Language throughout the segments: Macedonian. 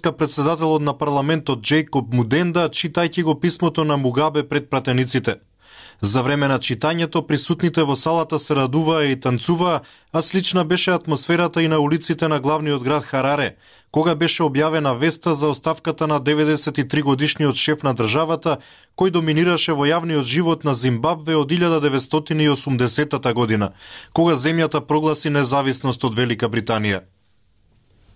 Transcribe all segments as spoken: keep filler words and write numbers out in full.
Председателот на парламентот Джейкоб Муденда, читајќи го писмото на Мугабе пред пратениците. За време на читањето присутните во салата се радуваа и танцуваа, а слична беше атмосферата и на улиците на главниот град Хараре, кога беше објавена веста за оставката на деветдесет и три годишниот шеф на државата, кој доминираше во јавниот живот на Зимбабве од илјада деветстотини и осумдесетата година, кога земјата прогласи независност од Велика Британија.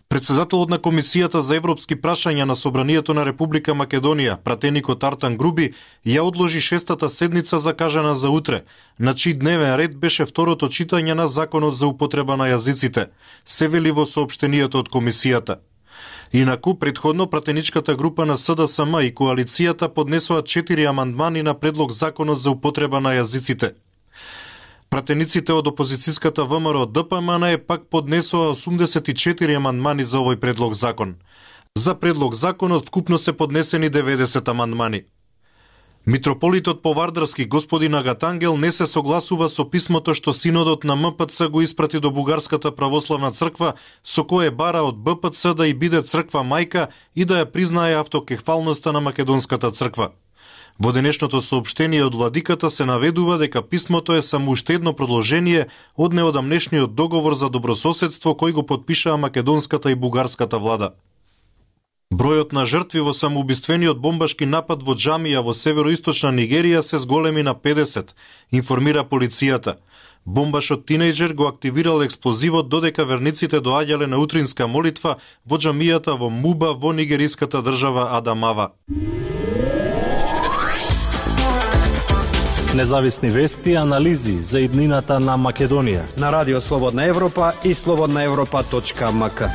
Председателот на Комисијата за европски прашања на Собранието на Република Македонија, пратеникот Артан Груби, ја одложи шестата седница закажана за утре, на чиј дневен ред беше второто читање на Законот за употреба на јазиците, се вели во соопштенијето од Комисијата. Инаку, предходно пратеничката група на С Д С М и коалицијата поднесоа четири амандмани на предлог Законот за употреба на јазиците. Пратениците од опозицијската В М Р Д П М Н пак поднесоа осумдесет и четири амандмани за овој предлог закон. За предлог законот вкупно се поднесени деветдесет амандмани. Митрополитот Повардарски господин Агатангел не се согласува со писмото што Синодот на М П Ц го испрати до Бугарската православна црква, со кое бара од Б П Ц да и биде црква мајка и да ја признае автокефалноста на македонската црква. Во денешното соопштение од владиката се наведува дека писмото е само уште едно продолжение од неодамнешниот договор за добрососедство кој го потпишаа македонската и бугарската влада. Бројот на жртви во самоубиствениот бомбашки напад во џамија во североисточна Нигерија се зголеми на педесет, информира полицијата. Бомбашот тинејџер го активирал експлозивот додека верниците доаѓале на утринска молитва во џамијата во Муба во нигериската држава Адамава. Независни вести и анализи за иднината на Македонија на Радио Слободна Европа и слободна европа точка м к.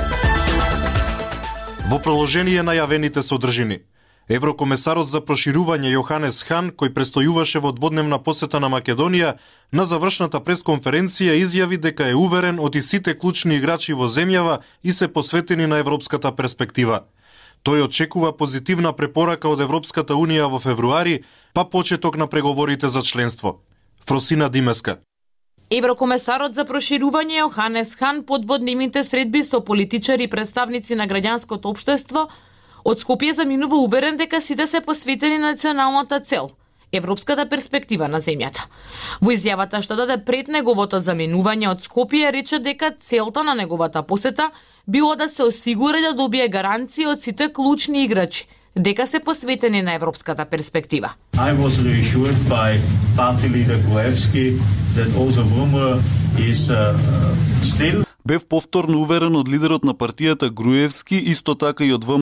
Во продолжение на јавените содржини, еврокомесарот за проширување Јоханес Хан, кој престојуваше во дводневна посета на Македонија, на завршната пресконференција изјави дека е уверен од сите клучни играчи во земјава и се посветени на европската перспектива. Тој очекува позитивна препорака од Европската Унија во февруари, па почеток на преговорите за членство. Фросина Димеска. Еврокомесарот за проширување Јоханес Хан по дводневните средби со политичари и представници на граѓанското општество од Скопје заминува уверен дека сите се посветени на националната цел – европската перспектива на земјата. Во изјавата што даде пред неговото заменување од Скопје рече дека целта на неговата посета било да се осигури да добие гаранции од сите клучни играчи дека се посветени на европската перспектива. I was reassured by party leader Gruevski that also V M R is uh, still Бев повторно уверен од лидерот на партијата Груевски, исто така и од В М